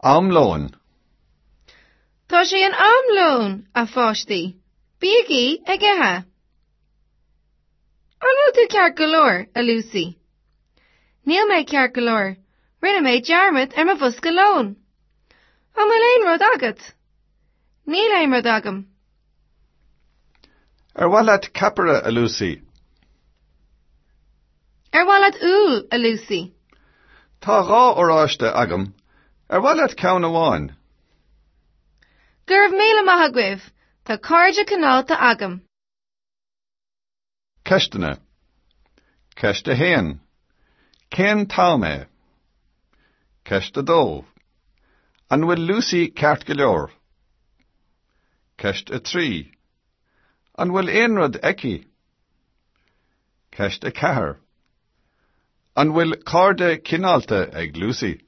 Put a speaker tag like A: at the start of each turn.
A: Am lóin.
B: Tá sé in am lóin, a pháistí. Bígí ag ithe. An bhfuil tú ceart go leor, a Lucy? Níl mé ceart go leor. Rinne mé dearmad ar mo bhosca lóin. An bhfuil aon rud agat? Níl aon rud agam.
A: Ar mhaith leat ceapaire, a Lucy?
B: Ar mhaith leat úll, a Lucy?
A: Tá 2 oráiste agam. Ar mhaith leat ceann amháin?
B: Go raibh míle maith agaibh. Tá cairde cineálta agam.
A: Ceisteanna. Ceist 1. Cén t-am é? Ceist 2. An bhfuil Lucy ceart go leor? Ceist 3. An bhfuil aon rud aici? Ceist 4. An bhfuil cairde cineálta ag Lucy?